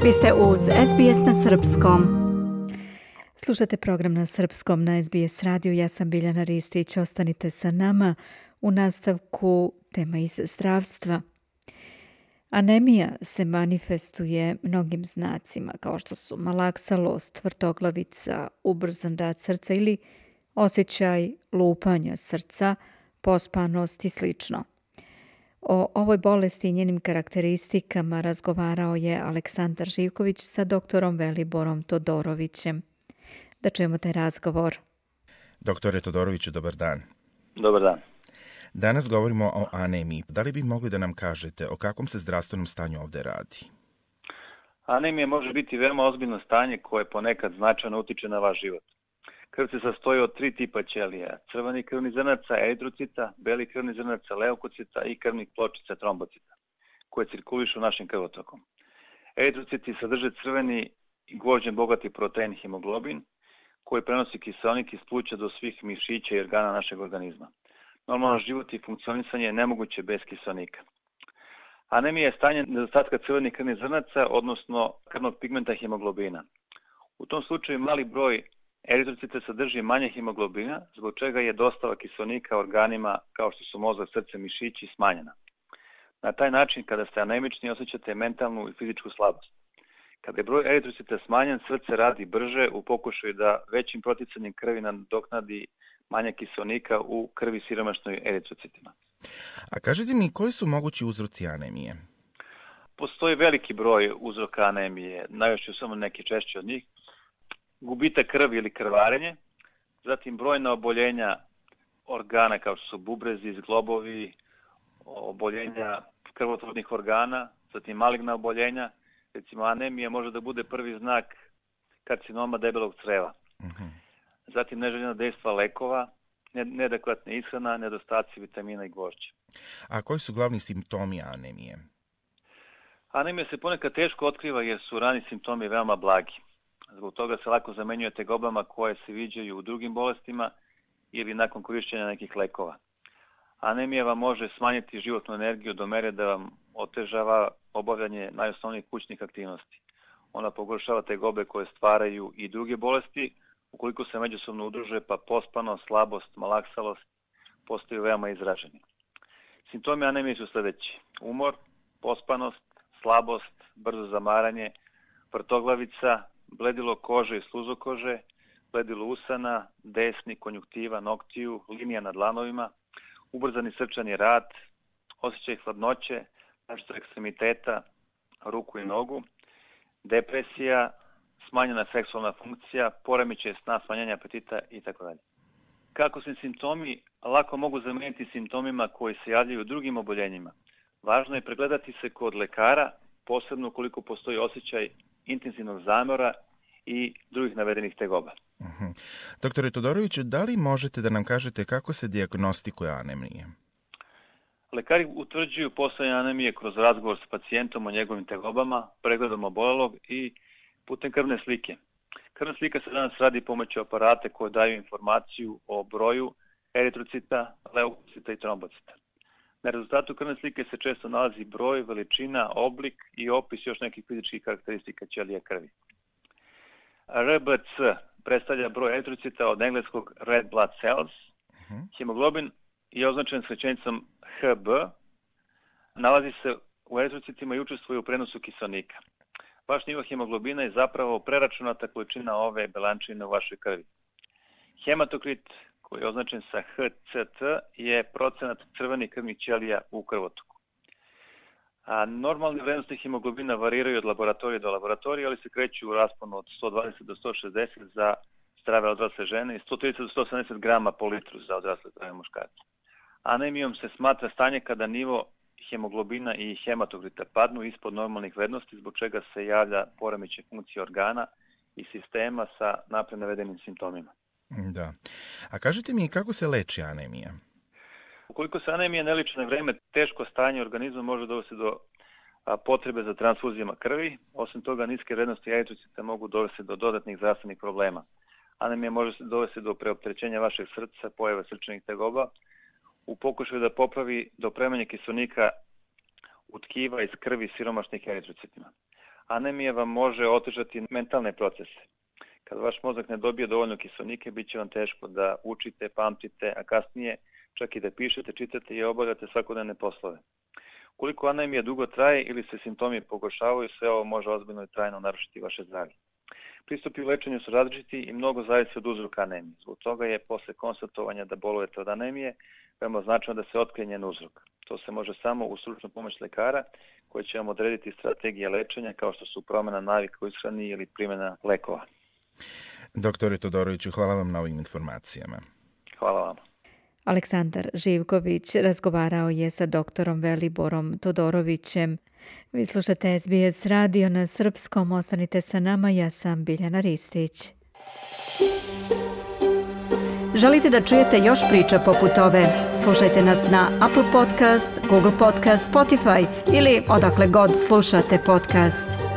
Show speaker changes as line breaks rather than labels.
Vi ste uz SBS na Srpskom. Slušate program na Srpskom na SBS radiju. Ja sam Biljana Ristić. Ostanite sa nama. U nastavku tema iz zdravstva. Anemija se manifestuje mnogim znacima kao što su malaksalost, vrtoglavica, ubrzan rad srca ili osjećaj lupanja srca, pospanost i slično. O ovoj bolesti i njenim karakteristikama razgovarao je Aleksandar Živković sa doktorom Veliborom Todorovićem. Da čujemo taj razgovor.
Doktore Todoroviću, dobar dan.
Dobar dan.
Danas govorimo o anemiji. Da li bi mogli da nam kažete o kakvom se zdravstvenom stanju ovde radi?
Anemija može biti veoma ozbiljno stanje koje ponekad značajno utiče na vaš život. Krv se sastoji od 3 tipa ćelija: crvenih krvnih zrnaca, eritrocita, belih krvnih zrnaca, leukocita i krvnih pločica, trombocita, koje cirkulišu našim krvotokom. Eritrociti sadrže crveni i gvožđem bogati protein hemoglobin, koji prenosi kiseonik iz pluća do svih mišića i organa našeg organizma. Normalan život i funkcionisanje je nemoguće bez kiseonika. Anemija je stanje nedostatka crvenih krvnih zrnaca, odnosno krvnog pigmenta hemoglobina. U tom slučaju mali broj eritrocita sadrži manje hemoglobina, zbog čega je dostava kiseonika organima kao što su mozak, srce, mišići smanjena. Na taj način, kada ste anemični, osjećate mentalnu i fizičku slabost. Kada je broj eritrocita smanjen, srce radi brže u pokušaju da većim proticanjem krvi nadoknadi manje kiseonika u krvi siromašnoj eritrocitima.
A kažete mi, koji su mogući uzroci anemije?
Postoji veliki broj uzroka anemije, najviše samo neki češći od njih. Gubitak krvi ili krvarenje, zatim brojna oboljenja organa kao što su bubrezi, zglobovi, oboljenja krvotvornih organa, zatim maligna oboljenja. Recimo, anemija može da bude prvi znak karcinoma debelog creva. Zatim neželjena dejstva lekova, neadekvatna ishrana, nedostaci vitamina i gvožđa.
A koji su glavni simptomi anemije?
Anemija se ponekad teško otkriva jer su rani simptomi veoma blagi. Zbog toga se lako zamenjuje tegobama koje se viđaju u drugim bolestima ili nakon korišćenja nekih lekova. Anemija vam može smanjiti životnu energiju do mere da vam otežava obavljanje najosnovnijih kućnih aktivnosti. Ona pogoršava tegobe koje stvaraju i druge bolesti, ukoliko se međusobno udruže, pa pospanost, slabost, malaksalost postaju veoma izraženi. Simptomi anemije su sljedeći: umor, pospanost, slabost, brzo zamaranje, vrtoglavica, bledilo kože i sluzokože, bledilo usana, desni, konjuktiva, noktiju, linija na dlanovima, ubrzani srčani rad, osjećaj hladnoće, našto ekstremiteta, ruku i nogu, depresija, smanjena seksualna funkcija, poremećaj sna, smanjenje apetita itd. Kako se simptomi lako mogu zameniti simptomima koji se javljaju u drugim oboljenjima, važno je pregledati se kod lekara, posebno ukoliko postoji osjećaj intenzivnog zamora i drugih navedenih tegoba.
Doktore Todoroviću, da li možete da nam kažete kako se dijagnostikuje anemija?
Lekari utvrđuju postojanje anemije kroz razgovor s pacijentom o njegovim tegobama, pregledom obolelog i putem krvne slike. Krvna slika se danas radi pomoću aparata koje daju informaciju o broju eritrocita, leukocita i trombocita. Na rezultatu krvne slike se često nalazi broj, veličina, oblik i opis još nekih fizičkih karakteristika ćelija krvi. RBC predstavlja broj eritrocita od engleskog red blood cells. Hemoglobin je označen s rečenicom HB, nalazi se u eritrocitima i učestvuje u prenosu kiseonika. Vaš nivo hemoglobina je zapravo preračunata količina ove belančine u vašoj krvi. Hematokrit, koji je označen sa HCT, je procenat crvenih krvnih ćelija u krvotoku. A normalne vrednosti hemoglobina variraju od laboratorija do laboratorija, ali se kreću u rasponu od 120 do 160 za zdrave odrasle žene i 130 do 170 grama po litru za odrasle zdrave muškarce. Anemijom se smatra stanje kada nivo hemoglobina i hematokrita padnu ispod normalnih vrednosti, zbog čega se javlja poremećaj funkcije organa i sistema sa napred navedenim simptomima.
Da. A kažete mi, kako se leči anemija?
Ukoliko se anemija ne leči na vreme, teško stanje organizma može dovesti do potrebe za transfuzijama krvi. Osim toga, niske vrednosti eritrocita mogu dovesti do dodatnih zdravstvenih problema. Anemija može se dovesti do preopterećenja vašeg srca, pojave srčanih tegoba, u pokušaju da popravi dopremanje kiseonika u tkiva iz krvi siromašnih eritrocitima. Anemija vam može otežati mentalne procese. Kad vaš mozak ne dobije dovoljno kiseonika, bit će vam teško da učite, pamtite, a kasnije čak i da pišete, čitate i obavljate svakodnevne poslove. Ukoliko anemija dugo traje ili se simptomi pogoršavaju, sve ovo može ozbiljno i trajno narušiti vaše zdravlje. Pristupi u lečenju su različiti i mnogo zavisi od uzroka anemije. Zbog toga je posle konstatovanja da bolujete od anemije veoma značajno da se otkrije njen uzrok. To se može samo uz stručnu pomoć lekara koji će vam odrediti strategije lečenja kao što su promjena navika u ishrani ili primjena lekova.
Doktore Todoroviću, hvala vam na ovim informacijama.
Hvala vam.
Aleksandar Živković razgovarao je sa doktorom Veliborom Todorovićem. Vi slušate SBS radio na srpskom. Ostanite sa nama, ja sam Biljana Ristić. Želite da čujete još priča poput ove? Slušajte nas na Apple Podcast, Google Podcast, Spotify ili odakle god slušate podcast.